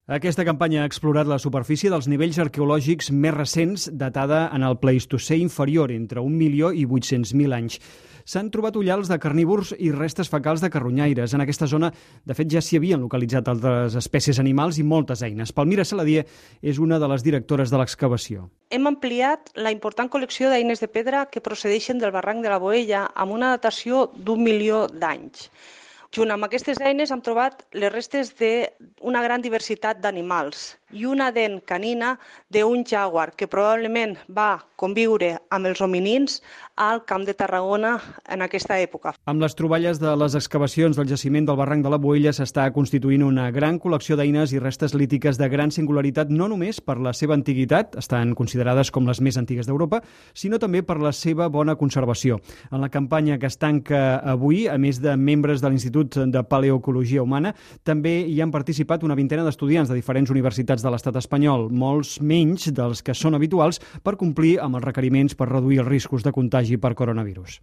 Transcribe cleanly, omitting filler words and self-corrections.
Aquesta campanya ha explorat la superfície dels nivells arqueològics més recents, datada en el Pleistocè inferior, entre 1.800.000 anys. S'han trobat ullals de carnívors i restes fecals de carronyaires. En aquesta zona, de fet, ja s'hi havien localitzat altres espècies animals i moltes eines. Palmira Saladier és una de les directores de l'excavació. Hem ampliat la important col·lecció d'eines de pedra que procedeixen del barranc de la Boella amb una datació d'1 milió d'anys. Junt amb aquestes eines hem trobat les restes d'una gran diversitat d'animals i una dent canina d'un jaguar que probablement va conviure amb els hominins al Camp de Tarragona en aquesta època. Amb les troballes de les excavacions del jaciment del barranc de la Boella s'està constituint una gran col·lecció d'eines i restes lítiques de gran singularitat, no només per la seva antiguitat, estan considerades com les més antigues d'Europa, sinó també per la seva bona conservació. En la campanya que es tanca avui, a més de membres de l'Institut de Paleoecologia Humana, també hi han participat una vintena d'estudiants de diferents universitats de l'estat espanyol, molts menys dels que són habituals per complir amb els requeriments per reduir els riscos de contagi per coronavirus.